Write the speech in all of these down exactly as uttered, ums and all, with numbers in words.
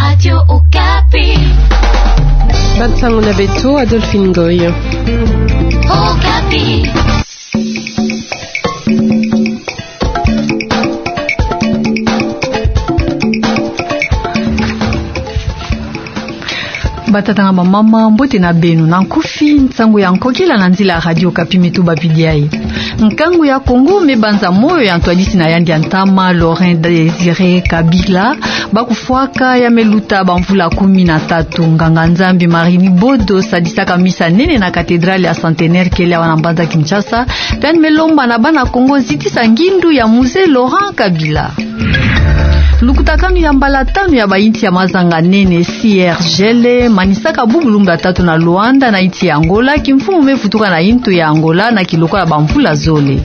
Radio Okapi. Bansango na beto, Adolphine Ngoy. Okapi. Batata na bamama, mbote na beno. Na nkufi, nsangu ya nkokila na nzila ya Radio Okapi me tubabidi yayi. Nkangu ya Kongo me banza moyo ya ntwadisi na yandi ya ntama, Laurent Désiré Kabila, bakufwaka ya me luta bamvula kumi na tatu. Nganga-Nzambi Marine Bodo sadisaka misa nene na cathédrale ya Centenaire kele awa na mbanza Kinshasa, tani me lomba na bana Kongo zitisa ngindu ya Mzee Laurent Kabila. Lukutakanu ya mbala tanu ya bainsi ya mazanga nene, C I R G L, manisaka bubu lumbu ya tatu na Luanda na insi ya Angola, kimfumu me vutuka na insi ya Angola na kilokola bamvula zole.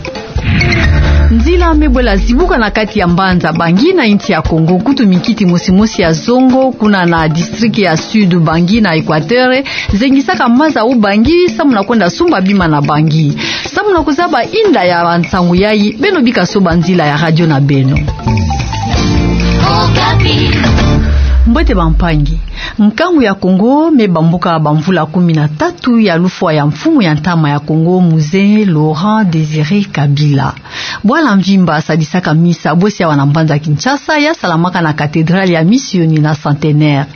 Nzila me bwela zibuka na kati ya mbanza Bangui na insi ya Kongo, kutu mikiti mosi mosi ya zongo, kuna na district ya Sud Bangui na Equateur, zengisaka maza u Bangui, samu na kwenda sumba bima na Bangui. Samu na kuzaba inda ya bansangu yayi, beno bika soba nzila ya radio na beno. Mbote bampangi. Nkangu ya Kongo me bambuka bamvula kumi na tatu ya lufwa ya mfumu ya ntama ya Kongo, Mzee Laurent Désiré Kabila. Bwala mvimba sadisaka misa bosi awa na mbanza Kinshasa, ya salamaka na cathédrale ya Misioni na Centenaire.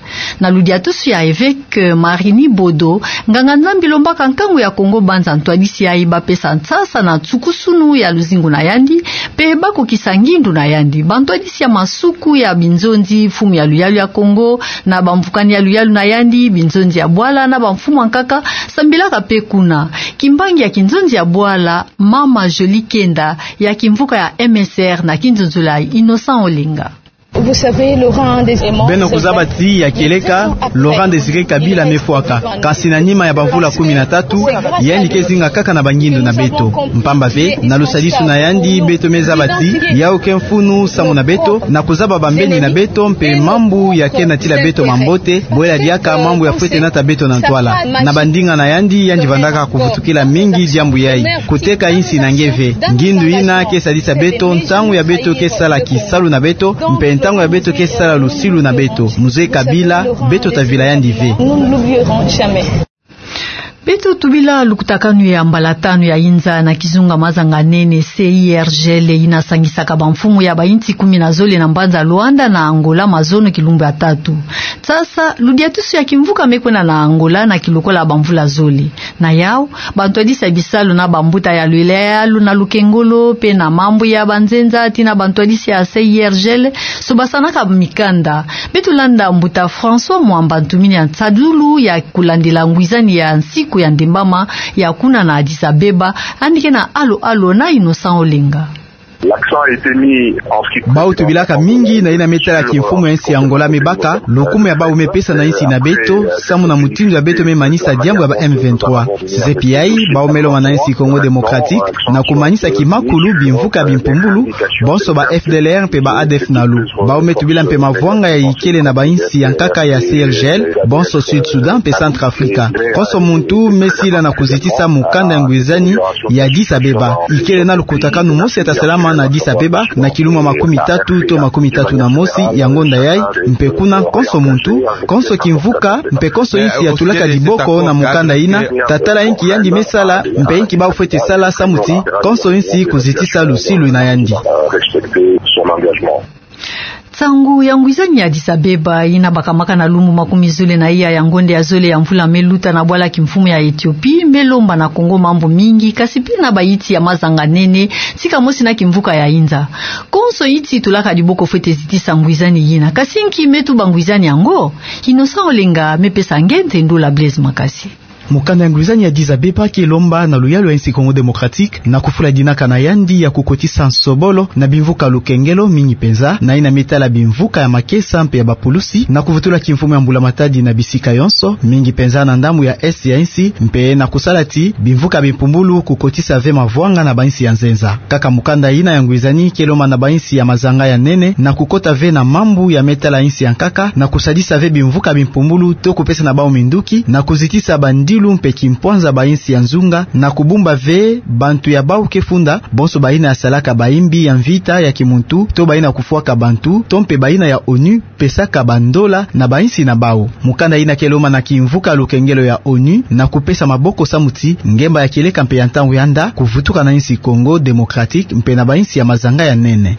Na ludiatusu ya évêque Marine Bodo, nganga-Nzambi lombaka nkangu ya Kongo banza ntwadisi yayi bapesa nsasa na nsukusunu ya luzingu na yandi, mpe bakukisa ngindu na yandi. Bantwadisi ya masuku ya binzonzi, mfumu ya luyalu ya Kongo, na bamvukani ya luyalu na yandi, binzonzi ya bwala, na bamfumu ya nkaka, sambilaka mpe kuna. Kimbangi ya kinzonzi ya bwala, Mama Jolie Kenda, ya kimvuka ya M S R, na kinzonzolo ya Innocent Olenga. Vous savez, Laurent Désiré. Beno kuzaba ti ya kieleka, Laurent Désiré Kabila me fwaka. Kasi na nima ya bamvula kumi na tatu, yandi ke zinga kaka na bangindu na beto. Mpamba ve, na lusadisu na yandi, beto me zaba ti yau ke mfunu samu na beto, na kuzaba bambeni na beto, mpe mambu ya ke natila beto mambote, bwela diaka mambu ya fwete nata beto na ntwala. Na bandinga na yandi, yandi vandaka kuvutukila mingi diambu yayi. Kuteka insi na nge ve. Ngindu yina ke sadisa beto, ntangu ya beto ke sala kisalu na beto, mpe ntangu ya beto ke sala lusilu na beto. Mzee Kabila, beto ta vila yandi ve. Nous ne l'oublierons jamais. Beto tubila lukutakanu ya mbala tanu ya inza na kizunga mazanga nene C I R G L yina sangisaka bamfumu ya bainsi kumi na zole na mbanza Luanda na Angola mazono kilumbu ya tatu. Sasa, ludiatusu ya kimvuka me kwenda na Angola na kilokola bamvula zole. Na yau, bantwadisi ya bisalu na bambuta ya luyalu na lukengolo, mpe na mambu ya banzenza, tii na bantwadisi ya C I R G L, sobasanaka mikanda. Beto landa mbuta François Mwamba, ntumini ya nsadulu ya kulandila ngwizani ya nsiku ya ndembama ya kuna na Addis Abeba, yandi ke na alo-alo na Innocent Olenga. L'accent a été mis en ce qui concerne... Bau tubilaka mingi na yina me tala kimfumu ya insi ya Angola me baka, lukumu ya bau me pesa na insi na beto, samu na mutindu ya beto me manisa diambu ya ba M vingt-trois. Sisi pi yayi, bau me lomba na insi Congo Démocratique, na kumanisa kimakulu bimvuka bimpumbulu, bonso ba F D L R mpe ba A D F nalu. Bau me tubila mpe mavwanga ya ikele na bainsi ya nkaka ya C I R G L, bonso Sud Soudan mpe Centrafrique. Konso muntu me sila na kuzitisa mukanda ya ngwizani ya Addis Abeba. Ikele na lukutakanu mosi ya ta salama na Addis Abeba, na kilumbu makumi tatu to makumi tatu na mosi ya ngonda yayi, mpe kuna konso muntu, konso kimvuka, mpe konso insi ya tulaka diboko na mukanda yina, ta tala inki yandi me sala, mpe inki bau fwete sala samu ti konso insi kuzitisa lusilu na yandi. Nsangu ya ngwizani ya Addis Abeba yina bakamaka na lumbu makumi zole na iya ya ngonda ya zole ya mvula me luta na bwala kimfumu ya Ethiopie, me lomba na Congo mambu mingi, kasi mpe na bainsi ya mazanga nene, sika mosi na kimvuka ya inza. Konso insi tulaka diboko fwete zitisa ngwizani yina. Kasi nki me tuba ngwizani yango? Innocent Olenga me pesa nge nte ndula Blaise Makasi. Mukanda ya ngwizani ya Addis Abeba ke lomba na luyalu ya insi Congo Démocratique, na kufula dinaka na yandi ya kukotisa nsobolo na bimvuka lukengelo mingi mpenza, na yina me tala bimvuka ya makesa mpe ya bapulusi, na kuvutula kimfumu ya mbula matadi na bisika yonso, mingi mpenza na ndambu ya est ya insi, mpe na kusala ti bimvuka bimpumbulu kukotisa ve mavwanga na bainsi ya nzenza. Kaka mukanda yina ya ngwizani ke lomba na bainsi ya mazanga ya nene na kukota ve na mambu ya me tala insi ya nkaka, na kusadisa ve bimvuka bimpumbulu to kupesa na bau minduki, na kuzitisa bandi kisalu mpe kimpwanza ba insi ya nzunga, na kubumba ve bantu ya bau ke funda, bonso bayina ya salaka bayimbi ya mvita ya kimuntu, to bayina kufwaka bantu, to mpe bayina ya onu pesaka bandola na ba insi na bau. Mukanda yina ke lomba na kimvuka lukengelo ya onu na kupesa maboko samu ti ngemba ya kieleka mpe ya ntangu ya nda kuvutuka na insi Congo Démocratique mpe na ba insi ya mazanga ya nene.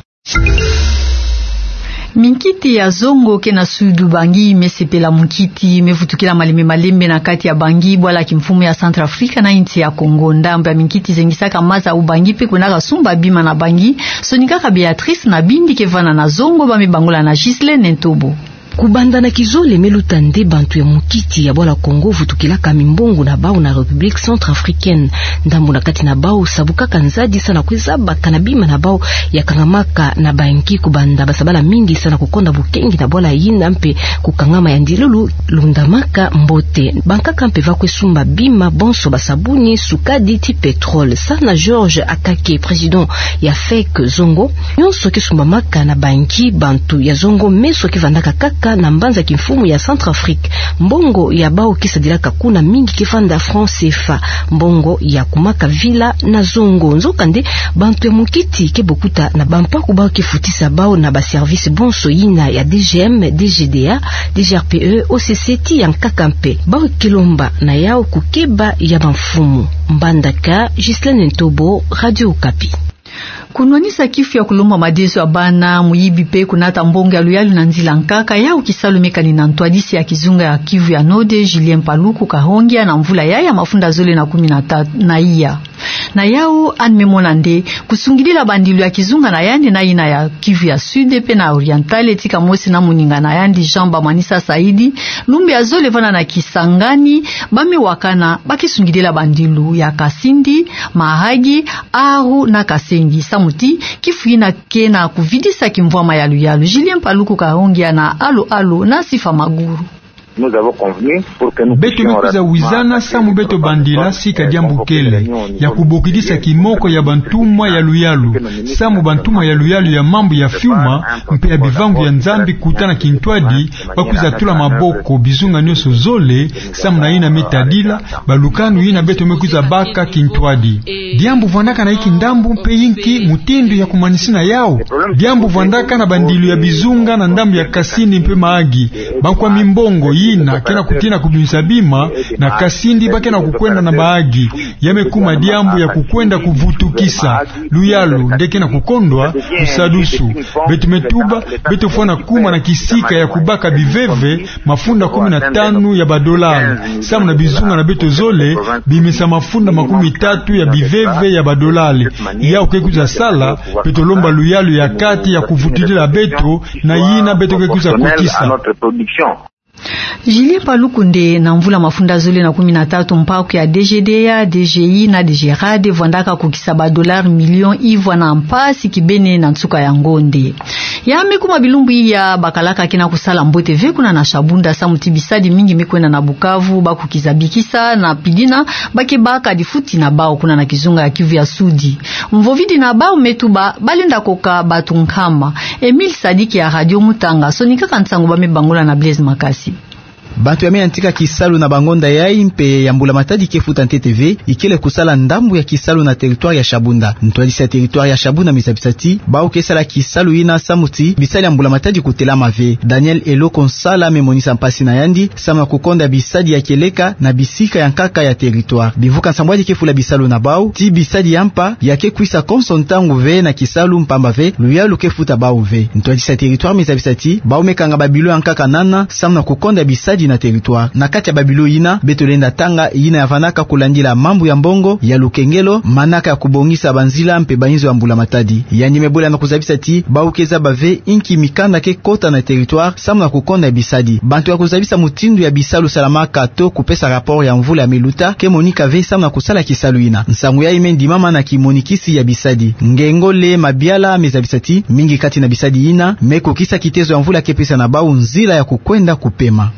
Minkiti ya zongo ke na Sud Ubangi me sepela munkiti me vutukila malembe malembe na kati ya Bangui, bwala kimfumu ya Centrafrique na insi ya Congo. Ndambu ya minkiti zengisaka maza Ubangi mpe kwendaka sumba bima na Bangui. Sonikaka Béatrice na Bindi ke vanda na zongo, ba me bangula na Ghislaine Ntobo. Kubanda na kizole me luta nde bantu ya munkiti ya bwala Congo vutukilaka mimbongo na bau na République Centrafricaine. Ndambu na kati na bau sabukaka nzadi sa na kwiza baka na bima na bau ya kangamaka na Bangui, kubanda ba sabala mingi sa na kukonda bukengi na bwala yina mpe kukangama ya ndilulu lundamaka mbote. Bankaka mpe va kwe sumba bima bonso, ba sabuni, sukadi ti pétrole. Sa na Georges Akake, président ya FEC Zongo, nyonso ke sumbamaka na Bangui, bantu ya zongo meso ke vandaka kaka na mbanza kimfumu ya Centrafrique. Mbongo ya bau ke sadilaka kuna mingi ke vanda franc CFA, mbongo ya kumaka villa na zongo. Nzokande, bantu ya munkiti ke bokuta na bampaku bau ke futisa bau na ba service bonso yina ya DGM, DGDA, DGRPE, OCC ti ya nkaka mpe. Bau ke lomba na yau kukeba ya bamfumu. Mbandaka, Ghislaine Ntobo, Radio Okapi. Kunwanisa kifu ya kulomba madezo ya bana, muyibi mpe kunata mbongo ya luyalu na nzila nkaka, yau kisalu me kani na ntwadisi ya kizunga ya Kivu ya Node, Julien Paluku Kahongya, na mvula yayi ya mafunda zole na kumi na tatu na iya. Na yau, yandi me mona nde kusungidila bandilu ya kizunga na yandi na yina ya Kivu ya Sud mpe na Oriental, tika mosi na moninga na yandi Jean Bamanisa Saidi, lumbu ya zole vanda na Kisangani, ba me wakana ba ke sungidila bandilu ya Kasindi, Mahagi, Aru na Kasengi, samu ti kifu yina ke na kuvidisa kimvwama ya luyalu. Julien Paluku Kahongya na Alo Alo na Sifa Maguru. Beto me kwiza wizana samu beto bandila sika diambu kele ya kubokidisa kimoko ya bantumwa ya luyalu, samu bantumwa ya luyalu ya mambu ya fiuma mpe ya bivangu ya Nzambi kuta na kintwadi, ba kwiza tula maboko bizunga nyonso zole, samu na yina me tadila balukanu yina beto me kwiza baka kintwadi. Diambu vwandaka na inki ndambu mpe inki mutindu ya kumanisina yau? Diambu vwandaka na bandilu ya bizunga na ndambu ya Kasindi mpe Mahagi. Bankwa mimbongo yina ke na kutina kubimisa bima na Kasindi ba ke na kukwenda na Mahagi. Ya me kuma diambu ya kukwenda kuvutukisa luyalu nde ke na kukondwa kusadusu. Beto me tuba, beto fwana kuma na kisika ya kubaka biveve mafunda kumi na tanu ya badolari, samu na bizunga na beto zole bimisa mafunda makumi tatu ya biveve ya badolari. Yau ke kwiza sala, beto lomba luyalu ya kati ya kuvutudila beto na yina beto ke kwiza kotisa. Julien Paluku nde na mvula mafunda zole na kumi na tatu mpaku ya DGDA, DGI na DGRAD vwandaka kukisa badolari milioni ivwa na mpasi kibeni na nsuka ya ngonde. Ya me kuma bilumbu iya bakalaka ke na kusala mbote ve kuna na Shabunda, samu ti bisadi mingi me kwenda na Bukavu, ba kukiza bikisa na pidina ba ke baka difuti na bau kuna na kizunga ya Kivu ya Sudi. Mvovidi na bau me tuba ba lenda koka bato nkama. Emile Sadiki ya Radio Mutanga sonikaka nsangu ba me bangula na Blaise Makasi. Bato ya me yantika kisalu na bangonda yayi mpe ya mbula matadi ke futa ntete ve, ikele kusala ndambu ya kisalu na territoire ya Shabunda. Ntwadisi ya territoire ya Shabunda me zabisa ti bau ke sala kisalu yina samu ti bisadi ya mbula matadi kutelama ve. Daniel Eloko Nsala me monisa mpasi na yandi samu na kukonda bisadi ya kieleka na bisika ya nkaka ya territoire. Bivuka nsambwadi ke fula bisalu na bau ti bisadi ya mpa ya ke kwisa konso ntangu ve na kisalu, mpamba ve luyalu ke futa bau ve. Ntwadisi ya territoire me zabisa ti bau me kanga babilo ya nkaka nana samu na kukonda bisadi na territoire. Na kati ya babilo yina beto lenda tanga yina ya vandaka kulandila mambu ya mbongo, ya lukengelo, manaka ya kubongisa banzila mpe bainzo ya mbula matadi. Yandi me bola na kuzabisa ti bau ke zaba ve inki mikanda ke kota na territoire samu na kukonda bisadi. Bantu ya kuzabisa mutindu ya bisalu salamaka to kupesa rapport ya mvula ya me luta ke monika ve samu na kusala kisalu yina. Nsangu yayi me ndimama na kimonikisi ya bisadi. Ngengole Mabiala me zabisa ti mingi kati na bisadi yina me kukisa kitezo ya mvula ke pesa na bau nzila ya kukwenda kupema.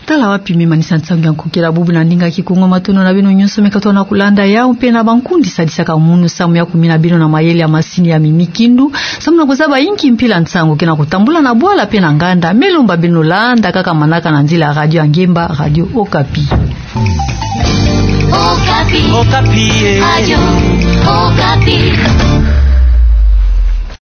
Tala wapi me manisa nsangu ya nkokela bubu na ndinga Kikongo. Matondo na beno nyonso me katuka na kulanda yau mpe na bankundi sadisaka munu samu ya kumina beno na mayele ya masini ya mimikindu samu na kuzaba inki mpila nsangu ke na kutambula na bwala mpe na nganda. Me lomba beno landa kaka manaka na nzila ya radio ya ngemba, Radio Okapi. Okapi. Okapi, eh. Ayo, okapi.